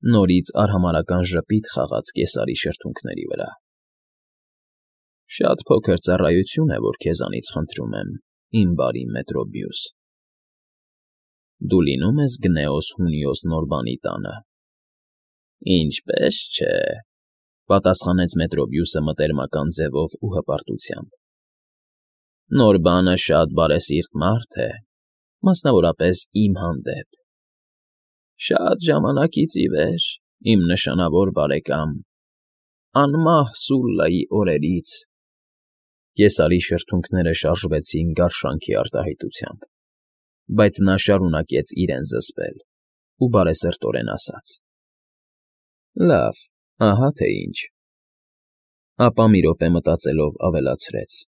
Նորից արհամարհական ժպիտ խաղաց կեսարի շրթունքների վրա։ Շատ փոքր ծառայություն է, որ քեզանից խնդրում եմ, իմ բարի Մետրոբիուս։ Դու լինո՞ւմ ես Գնեոս Հունիոս Նորբանի տանը։ Ինչպե՛ս չէ,֊ պատասխանեց Մետրոբիուսը մտերմական ձևով ու հպարտությամբ։ Նորբանը շատ բարեսիրտ մարդ է, մասնավորապես իմ հանդեպ։ Շատ ժամանակից ի վեր, իմ նշանավոր բարեկամ, անմահ Սուլլայի օրերից… Կեսարի շրթունքները շարժվեցին գարշանքի արտահայտությամբ, բայց նա շարունակեց իրեն զսպել ու բարեսրտորեն ասաց. Լավ, ահա թե ինչ… Ապա մի րոպե մտածելով ավելացրեց.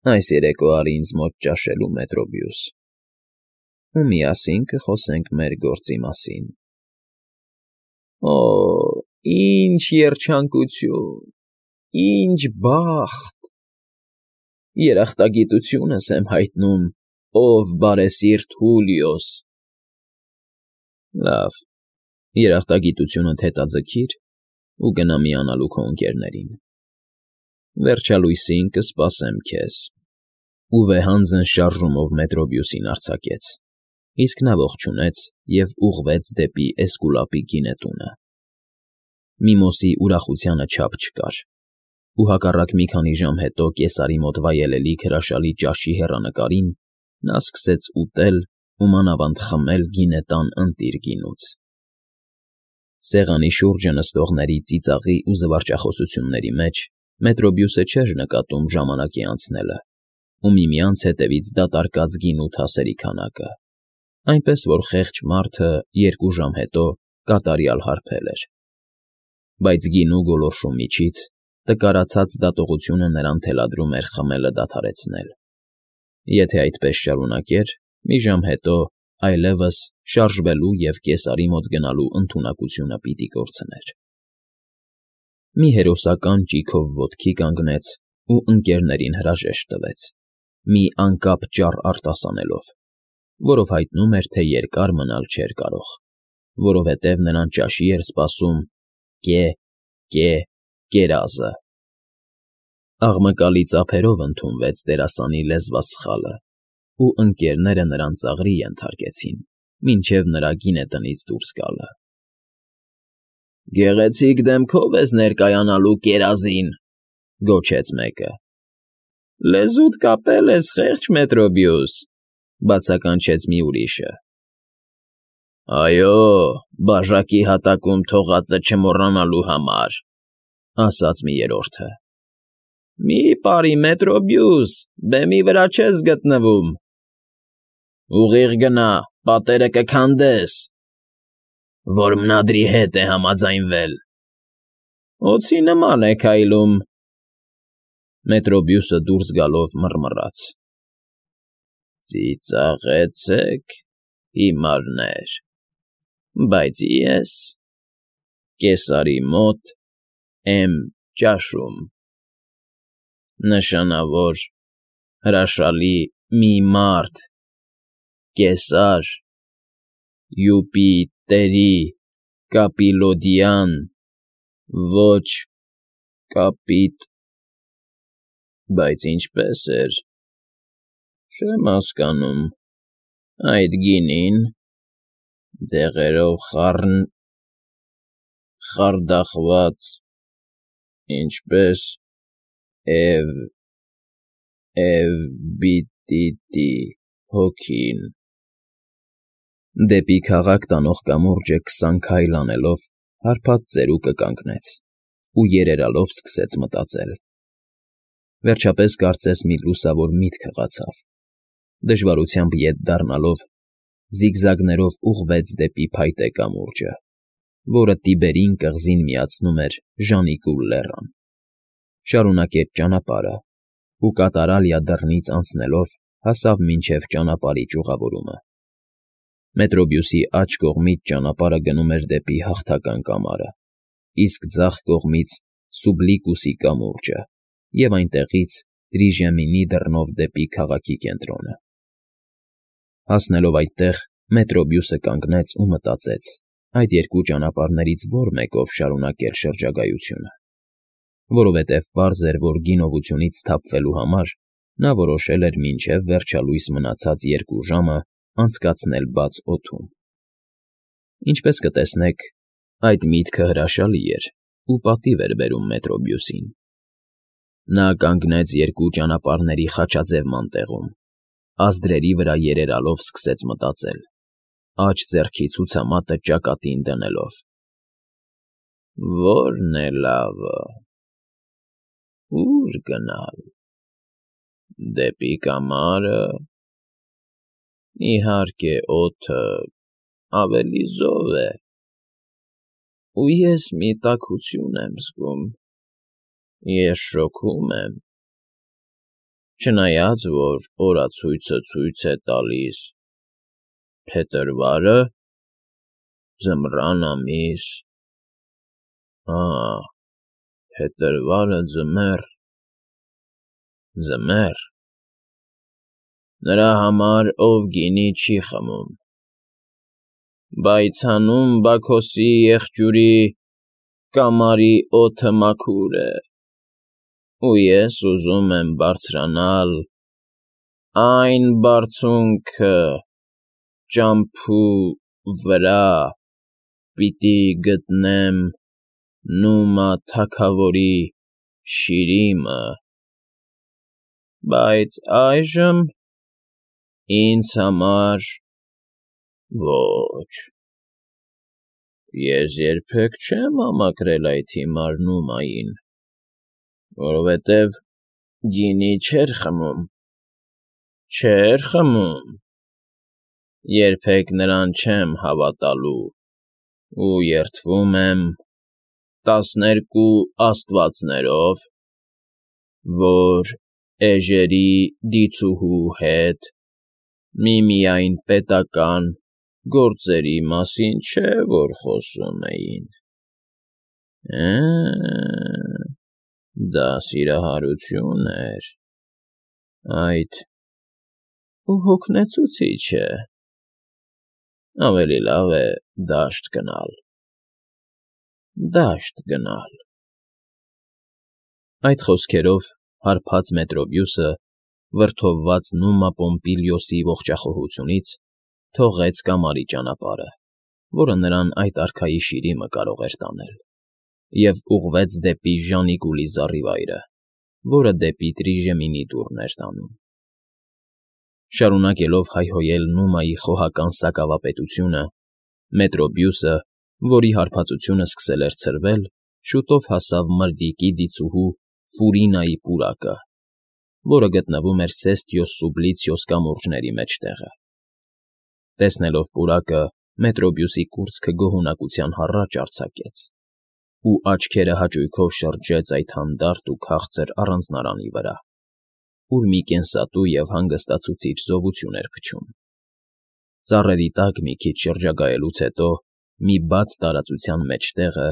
Այս երեկո արի ինձ մոտ ճաշելու, Մետրոբիուս, ու միասին կխոսենք մեր գործի մասին։ Օ՜, ինչ երջանկություն, ինչ բախտ… Երախտագիտությունս եմ հայտնում, ով բարեսիրտ Հուլիոս… Լավ, երախտագիտությունդ հետաձգիր ու գնա միանալու քո ընկերներին… Վերջալույսին կսպասեմ քեզ… Ու վեհանձն շարժումով Մետրոբիուսին արձակեց, իսկ նա ողջունեց և ուղղվեց դեպի Էսկուլապի գինետունը։ Միմոսի ուրախությանը չափ չկար, ու հակառակ մի քանի ժամ հետո կեսարի մոտ վայելելիք հրաշալի ճաշի հեռանկարին նա սկսեց ուտել ու մանավանդ խմել գինետան ընտիր գինուց։ Սեղանի շուրջը նստողների ծիծաղի ու զվարճախոսությունների մեջ Մետրոբիուսը չէր նկատում ժամանակի անցնելը ու միմյանց հետևից դատարկած գինու թասերի քանակը, այնպես որ խեղճ մարդը 2 ժամ հետո կատարյալ հարբել էր։ Բայց գինու գոլորշու միջից տկարացած դատողությունը նրան թելադրում էր խմելը դադարեցնել։ Եթե այդպես շարունակեր, մի ժամ հետո այլևս շարժվելու և կեսարի մոտ գնալու ընդունակությունը պիտի կորցներ։ Մի հերոսական ճիգով ոտքի կանգնեց ու ընկերներին հրաժեշտ տվեց, մի անկապ ճառ արտասանելով, որով հայտնում էր, թե երկար մնալ չէր կարող, որովհետև նրան ճաշի էր սպասում կերազը։ Աղմկալի ծափերով ընդունվեց դերասանի լեզվասխալը, ու ընկերները նրան ծաղրի ենթարկեցին, մինչև նրա գինետնից դուրս գալը։ Գեղեցիկ դեմքով ես ներկայանալու կերազին,֊ գոչեց մեկը։ Լեզուդ կապել ես, խեղճ Մետրոբիուս,֊ բացականչեց մի ուրիշը։ Այո, բաժակի հատակում թողածը չմոռանալու համար,֊ ասաց մի երրորդը։ Մի պարի, Մետրոբիուս, բեմի վրա չես գտնվում։ Ուղիղ գնա, պատերը կքանդես։ Որմնադրի հետ է համաձայնվել։ Օձի նման է քայլում։ Մետրոբիուսը դուրս գալով մռմռաց. Ծիծաղեցեք, հիմարներ, բայց ես կեսարի մոտ եմ ճաշում։ Նշանավոր հրաշալի մի մարդ, կեսար, Յուպիտերի Կապիլոդիան, ոչ կապիտ… Բայց ինչպես էր… Չեմ հասկանում… Այդ գինին… դեղերով խարդախված… ինչպես Էվբիտիդի հոգին… Դեպի քաղաք տանող կամուրջը 20 քայլ անելով հարբած ծերուկը կանգնեց ու երերալով սկսեց մտածել։ Վերջապես կարծես մի լուսավոր միտք հղացավ, դժվարությամբ ետ դառնալով զիգզագներով ուղղվեց դեպի փայտե կամուրջը, որը Տիբերին կղզին միացնում էր Ժանիկուլ լեռան։ Շարունակեց ճանապարհը ու Կատարալիա դռնից անցնելով հասավ մինչև ճանապարհի ճյուղավորումը։ Մետրոբիուսի աջ կողմից ճանապարհը գնում էր դեպի Հաղթական կամարը, իսկ ձախ կողմից՝ Սուբլիկուսի կամուրջը և այնտեղից Տրիժեմինի դռնով դեպի քաղաքի կենտրոնը։ Հասնելով այդտեղ, Մետրոբիուսը կանգնեց ու մտածեց, այդ երկու ճանապարհներից որ մեկով շարունակել շրջագայությունը, որովհետև պարզ էր, որ գինովությունից սթափվելու համար նա որոշել էր մինչև վերջալույս մնացած 2 ժամը անցկացնել բաց օդում։ Ինչպես կտեսնեք, այդ միտքը հրաշալի էր ու պատիվ էր բերում Մետրոբյուսին։ Նա կանգնեց երկու ճանապարհների խաչաձևման տեղում, ազդրերի վրա երերալով սկսեց մտածել, աջ ձեռքի ցուցամատը ճակատին դնելով. «Ո՞րն է լավը, ո՞ւր գնալ, դեպի կամարը, իհարկե օդը ավելի զով է, ու ես մի տաքություն եմ զգում, ես շոգում եմ, չնայած որ օրացույցը ցույց է տալիս փետրվարը, ձմռան ամիս, փետրվարը ձմեռ, նրա համար, ով գինի չի խմում, բայց հանուն Բաքոսի եղջյուրի կամարի օդը մաքուր է, ու ես ուզում եմ բարձրանալ այն բարձունքը ճամփու վրա, պիտի գտնեմ Նումա թագավորի շիրիմը, բայց այժմ ինձ համար ոչ, ես երբեք չեմ համակրել այդ հիմար Նումային, որովհետև գինի չէր խմում, երբեք նրան չեմ հավատալու ու երդվում եմ 12 աստվածներով, որ էժերի դիցուհու հետ միմիայն պետական գործերի մասին չէ, որ խոսում էին։ Դա սիրահարություն էր, այդ ու հոգնեցուցիչ է, ավելի լավ է դաշտ գնալ։ Այդ խոսքերով հարբած Մետրոբյուսը, վրդովված Նումա Պոմպիլիոսի ողջախոհությունից, թողեց կամարի ճանապարհը, որը նրան այդ արքայի շիրիմը կարող էր տանել, և ուղղվեց դեպի Ժանիկուլի զառիվայրը, որը դեպի Տրիժեմինի դուռն էր տանում։ Շարունակելով հայհոյել Նումայի խոհական սակավապետությունը, Մետրոբյուսը, որի հարբածությունը սկսել էր ցրվել, շուտով հասավ Մրրիկի դիցուհու Ֆուրինայի պուրակը, որը գտնվում էր Սեստիոս Սուբլիցիոս կամուրջների մեջտեղը։ Տեսնելով պուրակը, Մետրոբյուսի կուրծքը գոհունակության հառաչ արձակեց, ու աչքերը հաճույքով շրջեց այդ հանդարտ ու քաղցր առանձնարանի վրա, ուր մի կենսատու և հանգստացուցիչ զովություն էր փչում։ Ծառերի տակ մի քիչ շրջագայելուց հետո մի բաց տարածության մեջտեղը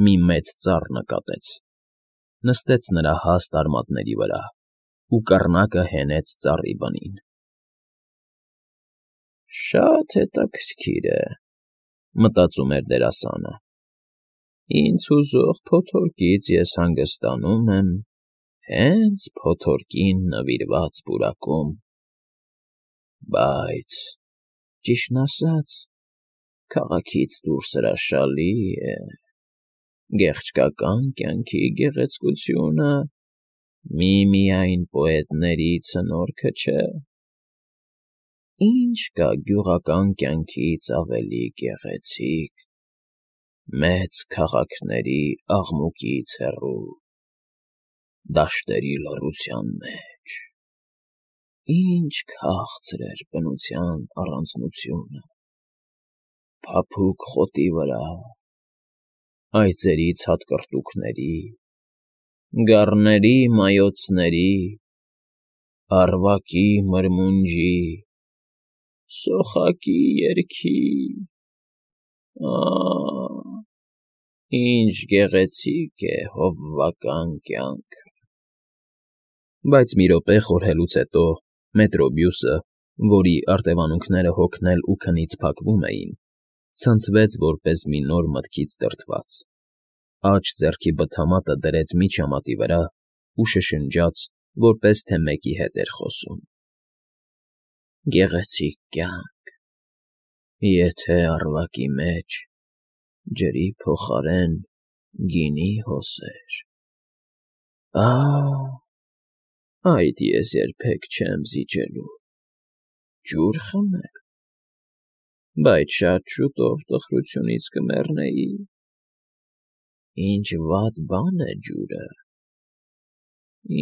մի մեծ ծառ նկատեց, նստեց նրա հաստ արմատների վրա ու կռնակը հենեց ծառի բնին։ «Շատ հետաքրքիր է,֊ մտածում էր դերասանը,֊ ինձ հուզող փոթորկից ես հանգստանում եմ հենց փոթորկին նվիրված պուրակում, բայց, ճիշտն ասած, քաղաքից դուրս հրաշալի է, գեղչկական կյանքի գեղեցկությունը միմիայն պոետների ցնորքը չէ, ինչ կա գյուղական կյանքից ավելի գեղեցիկ, մեծ քաղաքների աղմուկից հեռու, դաշտերի լռության մեջ, ինչ քաղցր էր բնության առանձնությունը, փափուկ խոտի վրա, այծերի ցատկռտուքների, գառների մայոցների, առվակի մրմունջի, սոխակի երգի, ինչ գեղեցիկ է հովվական կյանքը»։ Բայց մի րոպե խորհելուց հետո Մետրոբյուսը, որի արտևանունքները հոգնել ու քնից փակվում էին, ցնցվեց որպես մի նոր մտքից դրդված, աջ ձեռքի բթամատը դրեց միջամատի վրա ու շշնջաց, որպես թե մեկի հետ էր խոսում. «Գեղեցիկ կյանք, եթե առվակի մեջ ջրի փոխարեն գինի հոսեր… Այդ ես երբեք չեմ զիջելու… Ջուր խմել… Բայց շատ շուտով տխրությունից կմեռնեի… Ինչ վատ բան է ջուրը…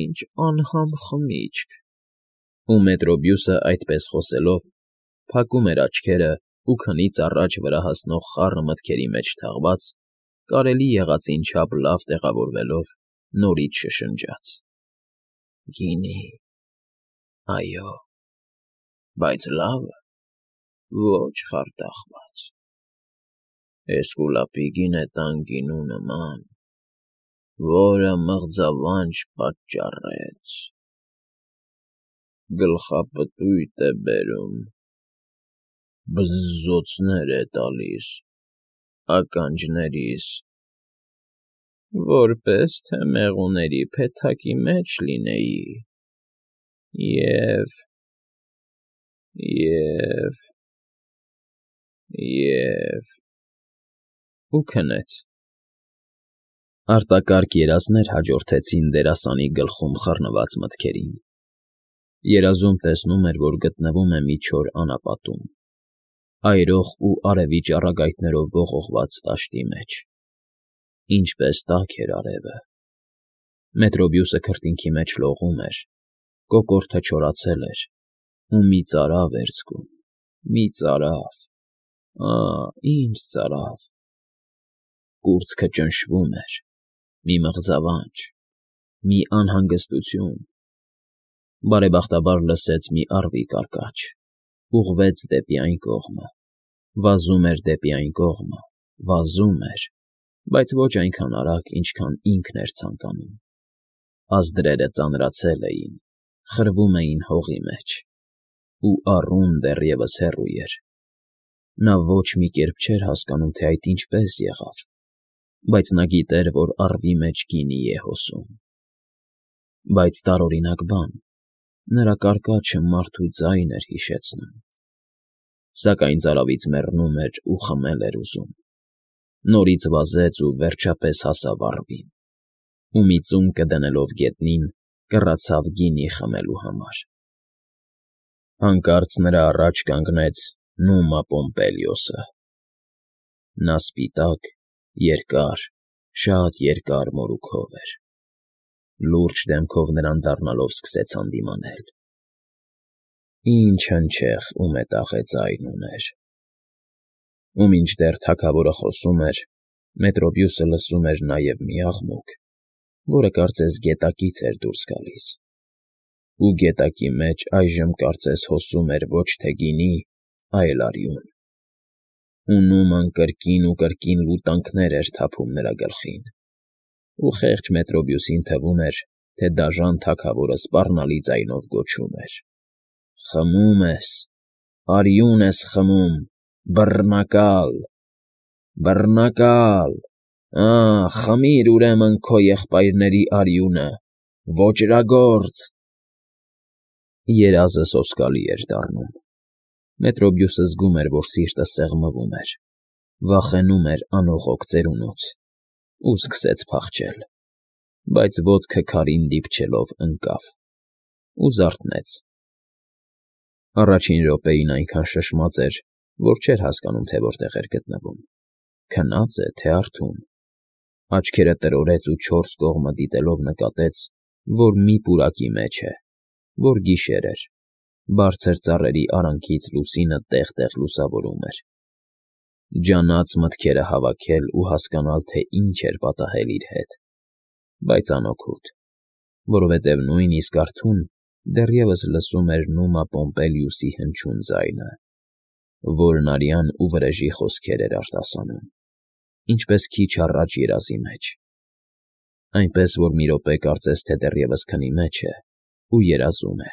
Ինչ անհամ խմիչք…» Ու Մետրոբյուսը այդպես խոսելով փակում էր աչքերը ու քնից առաջ վրա հասնող խառը մտքերի մեջ թաղված, կարելի եղածին չափ լավ տեղավորվելով նորից շշնջաց. «Գինի… Այո… Բայց լավը… Ոչ խարդախված… Էսկուլապի գինետան գինու նման, որը մղձավանջ պատճառեց… Գլխապտույտ է բերում, բզզոցներ է տալիս ականջներիս, որպես թե մեղուների փեթակի մեջ լինեի… Եվ… Ու քնեց… Արտակարգ երազներ հաջորդեցին դերասանի գլխում խռնված մտքերին… Երազում տեսնում էր, որ գտնվում է մի չոր անապատում, այրող ու արևի ճառագայթներով ողողված դաշտի մեջ… Ինչպես տաք էր արևը… Մետրոբյուսը քրտինքի մեջ լողում էր, կոկորդը չորացել էր ու մի ծարավ էր զգում… Մի ծարավ… Ինչ ծարավ… Կուրծքը ճնշվում էր… Մի մղձավանջ… Մի անհանգստություն… Բարեբախտաբար լսեց մի առվի կարկաչ… Ուղղվեց դեպի այն կողմը… Վազում էր դեպի այն կողմը… Վազում էր… Բայց ոչ այնքան արագ, ինչքան ինքն էր ցանկանում… Ազդրերը ծանրացել էին, խրվում էին հողի մեջ… Ու առուն դեռևս հեռու էր… Նա ոչ մի կերպ չէր հասկանում, թե այդ ինչպես եղավ, բայց նա գիտեր, որ առվի մեջ գինի է հոսում… Բայց տարօրինակ բան… Նրա կարկաչը մարդու ձայն էր հիշեցնում… Սակայն ծարավից մեռնում էր ու խմել էր ուզում… Նորից վազեց ու վերջապես հասավ առվին… Ու մի ծունկը դնելով գետնին, կռացավ գինի խմելու համար… Հանկարծ նրա առաջ կանգնեց Նումա Պոմպելիոսը… Նա սպիտակ, երկար, շատ երկար մորուքով էր… Լուրջ դեմքով նրան դառնալով սկսեց հանդիմանել… Ինչ հնչեղ ու մետաղե ձայն ուներ… Ու մինչդեռ թագավորը խոսում էր, Մետրոբյուսը լսում էր նաև մի աղմուկ, որը կարծես գետակից էր դուրս գալիս… Ու գետակի մեջ այժմ կարծես հոսում էր ոչ թե գինի, այլ արյուն… Ու Նուման կրկին ու կրկին լուտանքներ էր թափում նրա գլխին… Ու խեղճ Մետրոբյուսին թվում էր, թե դաժան թագավորը սպառնալի ձայնով գոչում էր. «Խմում ես… Արյուն ես խմում… Բռնակալ… Բռնակալ… Խմիր, ուրեմն, քո եղբայրների արյունը… Ոճրագործ…»… Երազը սոսկալի էր դառնում… Մետրոբյուսը զգում էր, որ սիրտը սեղմվում էր, վախենում էր անողոք ծերունուց… Ու սկսեց փախչել… Բայց ոտքը քարին դիպչելով ընկավ… Ու զարթնեց… Առաջին րոպեին այնքան շշմած էր, որ չէր հասկանում, թե որտեղ էր գտնվում… Քնա՞ծ է, թե արթուն… Աչքերը տրորեց ու չորս կողմը դիտելով նկատեց, որ մի պուրակի մեջ է, որ գիշեր էր… Բարձր ծառերի արանքից լուսինը տեղ֊տեղ լուսավորում էր… Ջանաց մտքերը հավաքել ու հասկանալ, թե ինչ էր պատահել իր հետ… Բայց անօգուտ… Որովհետև նույնիսկ արթուն դեռևս լսում էր Նումա Պոմպելիուսի հնչյուն ձայնը, որն արյան ու վրեժի խոսքեր էր արտասանում, ինչպես քիչ առաջ երազի մեջ… Այնպես որ մի րոպե կարծես թե դեռևս քնի մեջ է ու երազում է…